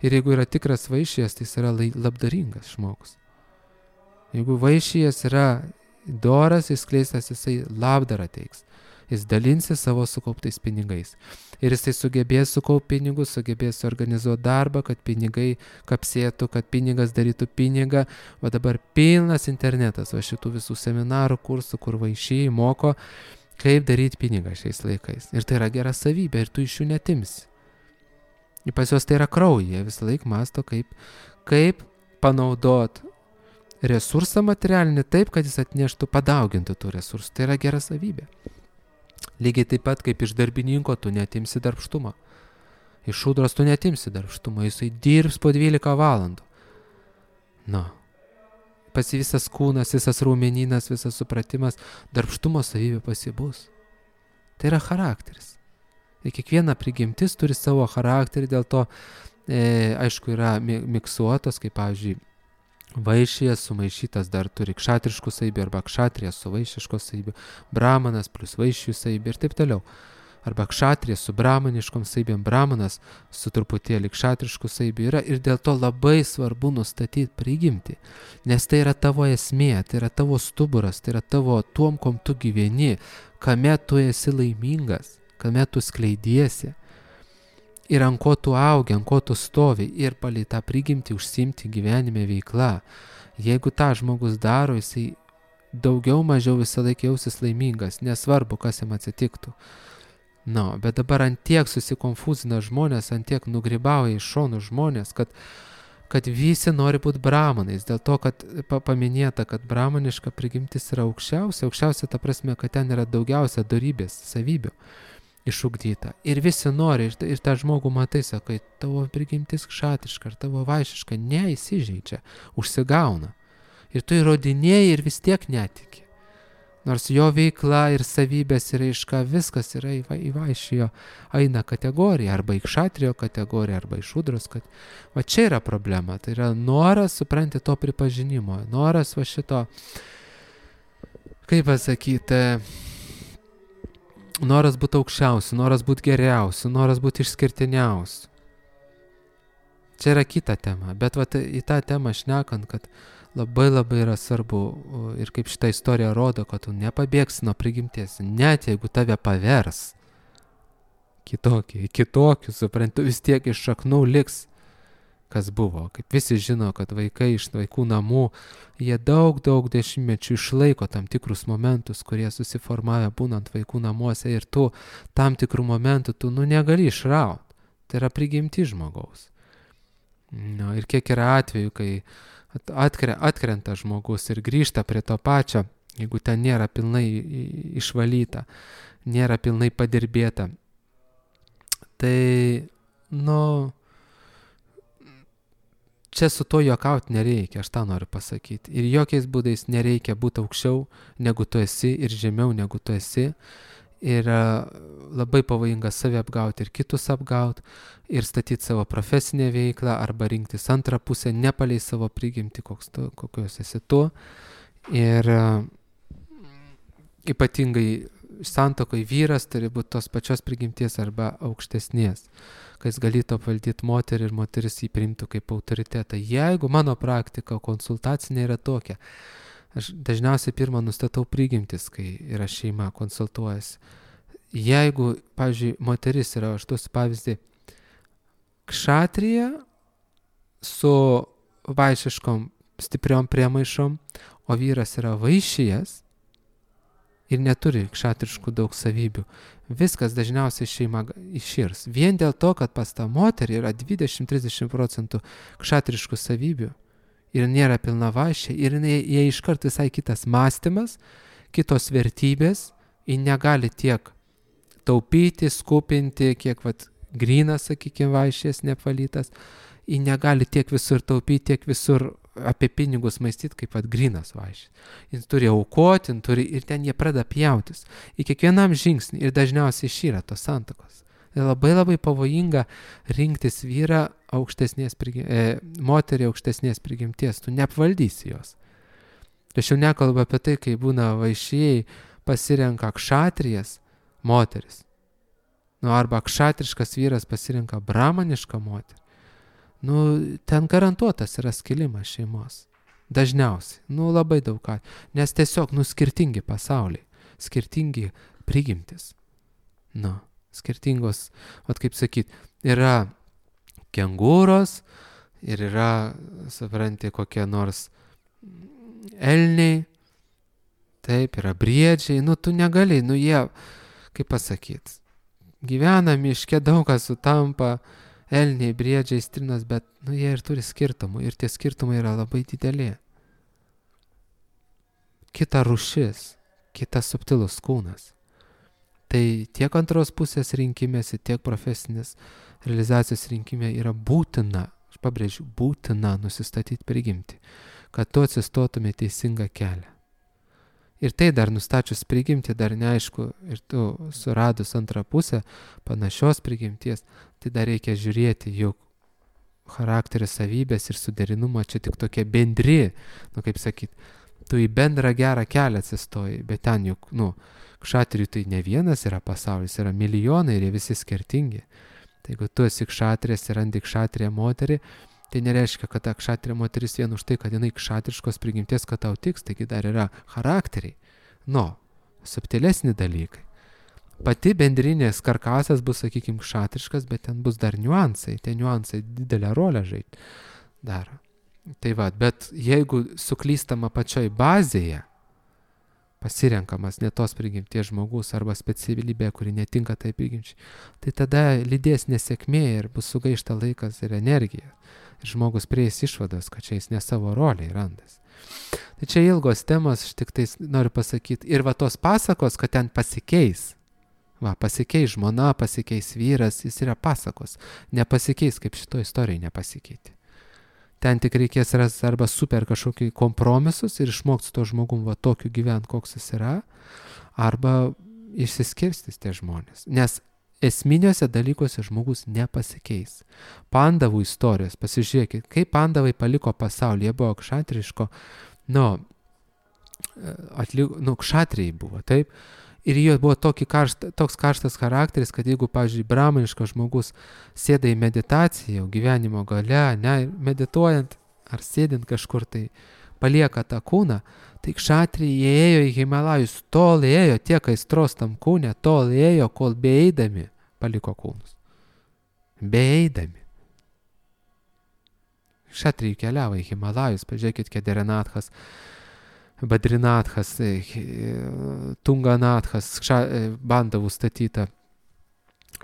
Ir jeigu yra tikras vaišijas, tai jis yra labdaringas žmogus. Jeigu vaišijas yra doras, jis kleistas, jisai labdarą teiks. Jis dalinsi savo sukauptais pinigais. Ir jisai sugebės sukaupti pinigus, sugebės organizuoti darbą, kad pinigai kapsėtų, kad pinigas darytų pinigą. Va dabar pilnas internetas, va šitų visų seminarų, kursų, kur vaišiai moko, kaip daryti pinigą šiais laikais. Ir tai yra gera savybė ir tu iš jų netimsi. Ir pas juos tai yra kraujyje, visą laiką masto, kaip, kaip panaudot resursą materialinį taip, kad jis atneštų, padaugintų tų resursų. Tai yra gera savybė. Lygiai taip pat, kaip iš darbininko tu netimsi darbštumą. Iš šūdros tu netimsi darbštumą, jisai dirbs po dvylika valandų. Nu. Pas visas kūnas, visas raumenynas, visas supratimas, darbštumo savybė pasibus. Tai yra charakteris. Ir kiekviena prigimtis turi savo charakterį, dėl to, e, aišku, yra miksuotos, kaip, pavyzdžiui, vaišijas sumaišytas dar turi kšatriškų savybių, arba kšatrijas su vaišiškos savybių, brahmanas plus vaišių savybių ir taip toliau. Arba kšatrijas su brahmaniškom savybėm, brahmanas su truputėlį kšatriškų savybių yra ir dėl to labai svarbu nustatyti prigimtį, nes tai yra tavo esmė, tai yra tavo stuburas, tai yra tavo tuom, kom tu gyveni, kame tu esi laimingas, kame tu skleidiesi ir ant ko tu augi, ant ko tu stovi ir palei tą prigimtį užsiimti gyvenime veikla. Jeigu tą žmogus daro, jisai daugiau mažiau visą laiką jausis laimingas, nesvarbu, kas jam atsitiktų. Na, no, bet dabar ant tiek susikonfuzina žmonės, ant tiek nugribauja iš šonų žmonės, kad, kad visi nori būti brahmanais, dėl to, kad pa, paminėta, kad brahmaniška prigimtis yra aukščiausia, aukščiausia ta prasme, kad ten yra daugiausia dorybės, savybių išugdyta. Ir visi nori, ir, ir tą žmogų matai, sakai, tavo prigimtis kšatriška, ar tavo vaišiška, neįsižeidžia, užsigauna. Ir tu įrodinėjai ir vis tiek netiki. Nors jo veikla ir savybės ir aiška, viskas yra į, į vaišijo eina kategoriją, arba į kšatrijo kategoriją, arba į šūdros. Kad... Va čia yra problema, tai yra noras, supranti, to pripažinimo, noras va šito, kaip pasakyti, noras būti aukščiausiu, noras būti geriausiu, noras būti išskirtiniausiu. Čia yra kita tema, bet vat, į tą temą šnekant, kad labai labai yra svarbu ir kaip šitą istoriją rodo, kad tu nepabėgsi nuo prigimties, net jeigu tave pavers kitokį, kitokių, suprantu, vis tiek iš šaknų liks, kas buvo. Kaip visi žino, kad vaikai iš vaikų namų, jie daug, daug dešimtmečių išlaiko tam tikrus momentus, kurie susiformavę būnant vaikų namuose ir tu tam tikrų momentų tu nu negali išrauti. Tai yra prigimti žmogaus. No, ir kiek yra atvejų, kai atkre, atkrenta žmogus ir grįžta prie to pačio, jeigu ten nėra pilnai išvalyta, nėra pilnai padirbėta. Tai, nu, čia su to juokauti nereikia, aš tą noriu pasakyti. Ir jokiais būdais nereikia būti aukščiau, negu tu esi, ir žemiau, negu tu esi. Ir labai pavojinga save apgauti ir kitus apgauti, ir statyti savo profesinę veiklą, arba rinktis antrą pusę, nepalei savo prigimti, koks tu, kokios esi tu. Ir ypatingai santuokoje vyras turi būti tos pačios prigimties arba aukštesnės, kai jis galėtų apvaldyti moterį ir moteris jį priimtų kaip autoritetą. Jeigu mano praktika konsultacinė yra tokia, aš dažniausiai pirmą nustatau prigimtis, kai yra šeima konsultuojasi. Jeigu, pavyzdžiui, moteris yra, aš duosiu pavyzdį, kšatrija su vaišiškom stipriom priemaišom, o vyras yra vaišijas ir neturi kšatriškų daug savybių, viskas dažniausiai šeima iširs. Vien dėl to, kad pas tą moterį yra dvidešimt iki trisdešimt procentų kšatriškų savybių ir nėra pilna vaišė, ir jie iškart visai kitas mąstymas, kitos vertybės, jie negali tiek taupyti, skupinti, kiek vat, grynas, sakykime, vaišės neapvalytas, jie negali tiek visur taupyti, tiek visur apie pinigus maistyti, kaip vat grynas vaišės. Jis turi aukoti, turi, ir ten jie pradeda pjautis. Į kiekvienam žingsnį ir dažniausiai šyra tos santuokos. Tai labai labai pavojinga rinktis vyrą aukštesnės prigim, e, moterį aukštesnės prigimties. Tu neapvaldysi jos. Aš jau nekalbu apie tai, kai būna vaišėjai pasirenka kšatrijas moteris. Nu, arba kšatriškas vyras pasirenka bramanišką moterį. Nu, ten garantuotas yra skilimas šeimos. Dažniausiai. Nu, labai daug ką. Nes tiesiog, nu, skirtingi pasauliai. Skirtingi prigimtis. Nu, skirtingos, vat kaip sakyt, yra kengūros ir yra, supranti, kokie nors elniai. Taip, yra briedžiai. Nu, tu negali, nu, jie, kaip pasakyt, gyvena miške, daug kas sutampa, elniai, briedžiai, strinas, bet nu, jie ir turi skirtumų ir tie skirtumai yra labai dideli. Kita rūšis, kitas subtilus kūnas. Tai tiek antros pusės rinkimėsi, tiek profesinės realizacijos rinkimė yra būtina, aš pabrėžiu, būtina nusistatyti prigimtį, kad tu atsistotumė teisingą kelią. Ir tai dar nustačius prigimtį, dar neaišku, ir tu suradus antrą pusę panašios prigimties, tai dar reikia žiūrėti, juk charakterio savybės ir suderinumą čia tik tokie bendri, nu kaip sakyt, tu į bendrą gerą kelią atsistoji, bet ten juk, nu, kšatrijų tai ne vienas yra pasaulis, yra milijonai ir jie visi skirtingi. Tai jeigu tu esi kšatrijas ir randi kšatriją moterį, tai nereiškia, kad ta kšatrija moteris vien už tai, kad jinai kšatriškos prigimties, kad tau tiks, taigi dar yra charakteriai. Nu, subtilesni dalykai. Pati bendrinės karkasas bus, sakykime, kšatriškas, bet ten bus dar niuansai. Tie niuansai didelę rolę žaidžia dar. Tai va, bet jeigu suklystama pačioj bazėje, pasirenkamas ne tos prigimties žmogus arba specialybė, kuri netinka tai prigimčiai, tai tada lydės nesėkmė ir bus sugaišta laikas ir energija. Ir žmogus prieis išvados, kad čia jis ne savo roliai randas. Tai čia ilgos temos, aš tik tai noriu pasakyti. Ir va tos pasakos, kad ten pasikeis. Va, pasikeis žmona, pasikeis vyras, jis yra pasakos. Nepasikeis, kaip šito istorijai nepasikeiti. Ten tik reikės rasti arba super kažkokį kompromisus ir išmokti su to žmogum va tokiu gyventi, koks jis yra, arba išsiskirstys tie žmonės. Nes esminiuose dalykuose žmogus nepasikeis. Pandavų istorijos, pasižiūrėkit, kaip pandavai paliko pasaulį, jie buvo kšatriško, nu, atliko, nu, kšatrijai buvo, taip, Ir jo buvo tokį karšta, toks karštas charakteris, kad jeigu, pavyzdžiui, brahmaniškas žmogus sėda į meditaciją, gyvenimo gale, ne, medituojant ar sėdint kažkur tai palieka tą kūną, tai kšatriai ėjo į Himalajus, tol ėjo tiek aistros tam kūne, tol ėjo, kol beeidami paliko kūnus. Beeidami. Kšatriai keliavo į Himalajus, pažiūrėkit, Kederinathas, Badrinathas, Tunganathas, Bandavų statyta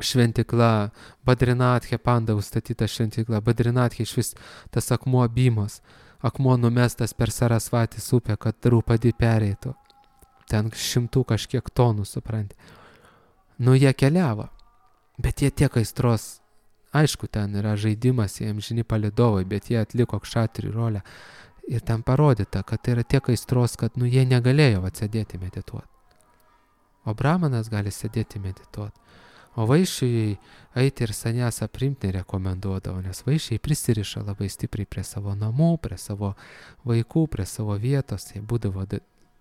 šventikla, Badrinathė Pandavų statyta šventikla, Badrinathė iš vis tas akmuo Bymos, akmuo numestas per Sarasvatės upę, kad Drupadi pereitų. Ten šimtų kažkiek tonų, supranti. Nu, jie keliavo, bet jie tiek aistros, aišku, ten yra žaidimas, jie amžini palidovai, bet jie atliko kšatrių rolę. Ir ten parodyta, kad tai yra tiek aistros, kad nu, jie negalėjo atsėdėti medituoti. O brahmanas gali sėdėti medituoti. O vaiščiai eiti ir saniasą priimti nerekomenduodavo, nes vaiščiai prisiriša labai stipriai prie savo namų, prie savo vaikų, prie savo vietos. Jie būdavo,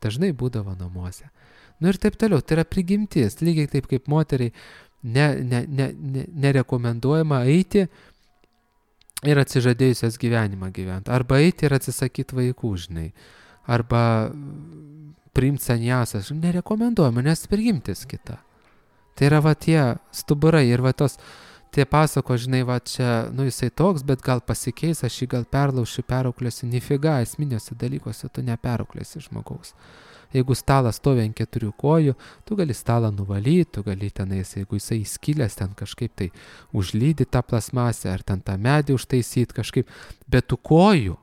dažnai būdavo namuose. Nu ir taip toliau, tai yra prigimtis, lygiai taip kaip moteriai ne, ne, ne, ne, nerekomenduojama eiti ir atsižadėjusios gyvenimą gyventi. Arba eiti ir atsisakyti vaikų, žinai. Arba priimti saniasas. Nerekomenduojama, nes prigimtis kita. Tai yra va tie stuburai ir va tos, tie pasako, žinai, va čia, nu jisai toks, bet gal pasikeis, aš jį gal perlaušiu, perauklėsiu. Nifiga, esminiuose dalykuose tu neperauklėsi žmogaus. Jeigu stalas stovi ant keturių kojų, tu gali stalą nuvalyti, tu gali tenais, jeigu jisai įskilęs, ten kažkaip tai užlydyti tą plasmasę, ar ten tą medį užtaisyti kažkaip, bet tų kojų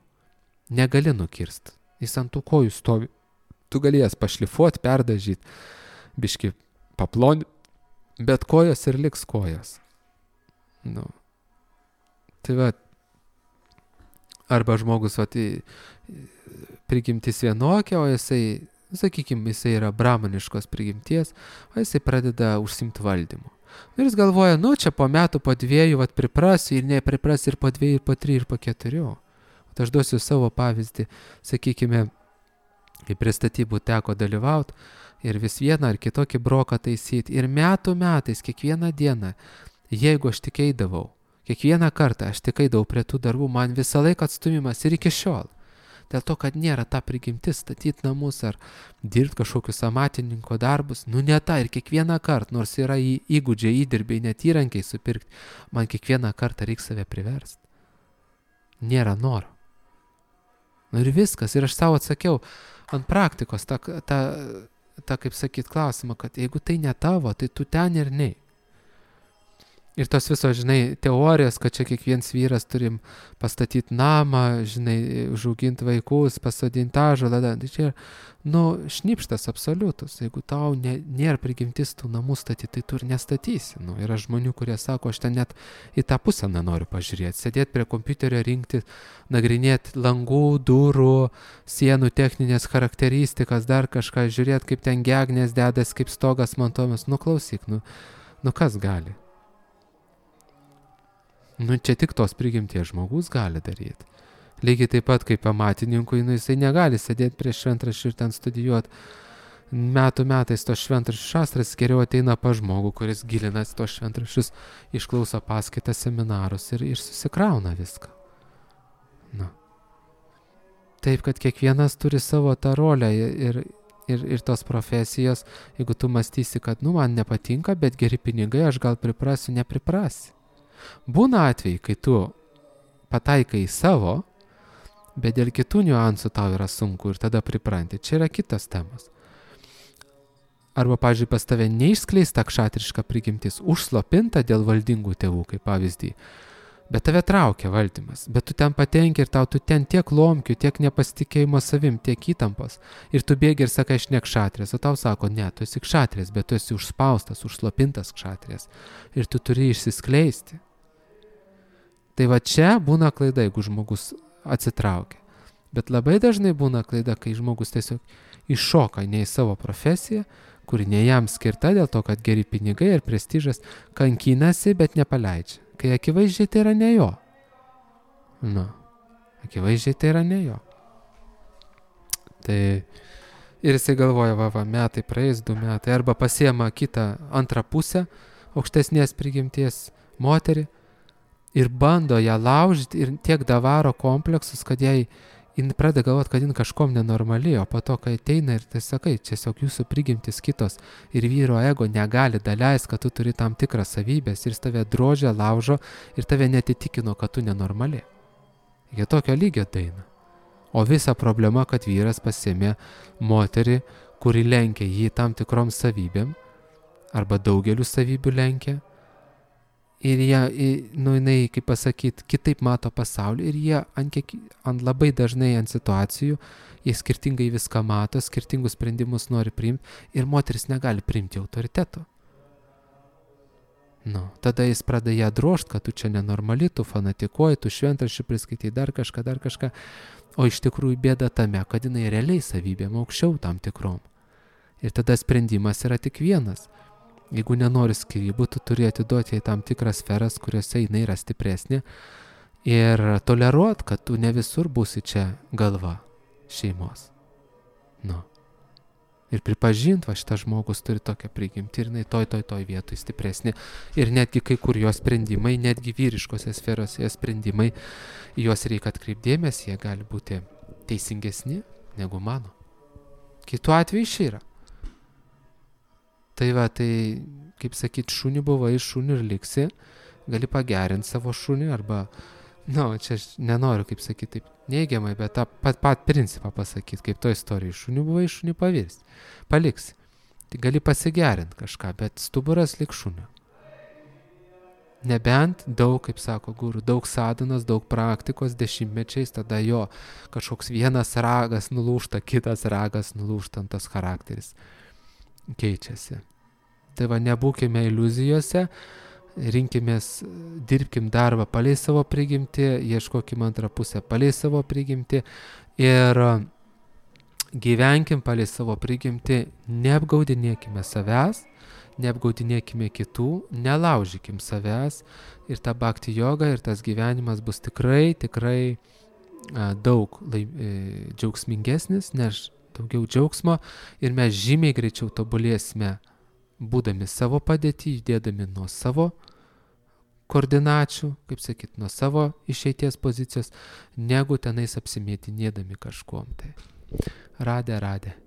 negali nukirsti. Jis ant tų kojų stovi. Tu gali jas pašlifuoti, perdažyti, biški paplonti, bet kojos ir liks kojos. Nu. Tai va, arba žmogus va, tai prigimtis vienokia, o jisai sakykime, jisai yra brahmaniškos prigimties, o jisai pradeda užsimti valdymu. Ir jis galvoja, nu čia po metų, po dviejų, vat priprasiu ir nepripras ir po dviejų, ir po trijų, ir po keturių. O aš duosiu savo pavyzdį, sakykime, kai prie statybų teko dalyvauti ir vis vieną ar kitokį broką taisyti. Ir metų metais, kiekvieną dieną, jeigu aš tik eidavau, kiekvieną kartą aš tik eidavau prie tų darbų, man visą laiką atstumimas ir iki šiol. Dėl to, kad nėra ta prigimtis statyti namus ar dirbti kažkokius amatininko darbus, nu ne ta ir kiekvieną kartą, nors yra į įgūdžiai, įdirbiai, net įrankiai supirkti, man kiekvieną kartą reikia save priversti. Nėra noro. Nu ir viskas, ir aš savo atsakiau ant praktikos, tą, tą, tą kaip sakyt, klausimą, kad jeigu tai ne tavo, tai tu ten ir nei. Ir tos visos, žinai, teorijos, kad čia kiekvienas vyras turim pastatyti namą, žinai, užauginti vaikus, pasodinti ąžuolą, tai čia, nu, šnipštas absoliutus. Jeigu tau ne, nėra prigimtis tų namų statyti, tai tu ir nestatysi. Nu, yra žmonių, kurie sako, aš ten net į tą pusę nenoriu pažiūrėti. Sėdėti prie kompiuterio, rinkti, nagrinėti langų, durų, sienų techninės charakteristikas, dar kažką, žiūrėti, kaip ten gegnės dedas, kaip stogas montuojamas. Nu, klausyk, nu, nu kas gali? Nu, čia tik tos prigimties žmogus gali daryti. Lygiai taip pat kaip amatininkui, nu, jisai negali sėdėti prie šventraščių ir ten studijuoti. Metų metais tos šventraščių šastras geriau ateina pa žmogų, kuris gilinasi tos šventraščius, išklauso paskaitas, seminarus ir, ir susikrauna viską. Nu. Taip, kad kiekvienas turi savo tą rolę ir, ir, ir tos profesijos, jeigu tu mąstysi, kad, nu, man nepatinka, bet geri pinigai, aš gal priprasiu, nepriprasi. Būna atvejai, kai tu pataikai į savo, bet dėl kitų niuansų tau yra sunku ir tada pripranti. Čia yra kitas temas. Arba, pavyzdžiui, pas tave neišskleista kšatriška prigimtis, užslopinta dėl valdingų tėvų, kaip pavyzdį, bet tave traukia valdymas, bet tu ten patenki ir tau tu ten tiek lomkių, tiek nepasitikėjimo savim, tiek įtampos. Ir tu bėgi ir sakai, aš ne kšatrės, o tau sako, ne, tu esi kšatrės, bet tu esi užspaustas, užslopintas kšatrės. Ir tu turi išsiskleisti. Tai va čia būna klaida, jeigu žmogus atsitraukia. Bet labai dažnai būna klaida, kai žmogus tiesiog iššoka ne į savo profesiją, kuri ne jam skirta dėl to, kad geri pinigai ir prestižas, kankinasi, bet nepaleidžia. Kai akivaizdžiai tai yra ne jo. Nu, akivaizdžiai tai yra ne jo. Tai Ir jisai galvoja, va, va, metai praeis, du metai, arba pasiema kitą antrą pusę aukštesnės prigimties moterį ir bando ją laužyti ir tiek davaro kompleksus, kad jai jin pradeda galvoti, kad jin kažkom nenormali, o po to, kai ateina ir tai sakai, tiesiog jūsų prigimtis kitos ir vyro ego negali daleis, kad tu turi tam tikrą savybės ir jis tave drožia, laužo ir tave netitikino, kad tu nenormali. Jie tokio lygio daina. O visa problema, kad vyras pasiėmė moterį, kuri lenkia jį tam tikrom savybėm arba daugeliu savybių lenkia. Ir jie, nu, jinai, kaip pasakyti, kitaip mato pasaulį ir jie ant, kiek, ant labai dažnai ant situacijų, jie skirtingai viską mato, skirtingus sprendimus nori priimti ir moteris negali priimti autoriteto. Nu, tada jis pradeda ją drožt, kad tu čia nenormali, tu fanatikuoji, tu šventraščių priskaitai dar kažką, dar kažką, o iš tikrųjų bėda tame, kad jinai realiai savybėm aukščiau tam tikrom. Ir tada sprendimas yra tik vienas. Jeigu nenori skyrybų, tu turi atiduoti į tam tikras sferas, kuriuose jinai yra stipresnė ir toleruot, kad tu ne visur būsi čia galva šeimos. Nu. Ir pripažint, va šitas žmogus turi tokią prigimtį ir jinai toj, toj, toj vietoj stipresnė. Ir netgi kai kur jos sprendimai, netgi vyriškose sferose jos sprendimai, juos reikia atkreipdėmės, jie gali būti teisingesni negu mano. Kitu atveju iš yra. Tai va, tai, kaip sakyt, šunį buvai, šunį ir liksi, gali pagerinti savo šunį arba, na, nu, čia aš nenoriu, kaip sakyt, taip neigiamai, bet tą pat, pat principą pasakyti, kaip to istorijai, šunį buvai, šunį pavirsti, paliksi. Tai gali pasigerinti kažką, bet stuburas lik šunio. Nebent daug, kaip sako guru, daug sadanos, daug praktikos, dešimtmečiais, tada jo kažkoks vienas ragas nulūžta, kitas ragas nulūžta, tas charakteris keičiasi. Tai va, nebūkime iliuzijose, rinkimės, dirbkim darbą palei savo prigimtį, ieškokim antrą pusę palei savo prigimtį ir gyvenkim palei savo prigimtį, neapgaudinėkime savęs, neapgaudinėkime kitų, nelaužykim savęs ir ta bhakti joga ir tas gyvenimas bus tikrai, tikrai a, daug lai, e, džiaugsmingesnis, nes daugiau džiaugsmo ir mes žymiai greičiau tobulėsime, būdami savo padėtį, judėdami nuo savo koordinačių, kaip sakyt, nuo savo išeities pozicijos, negu tenais apsimėtinėdami kažkuom. Tai radė, radė.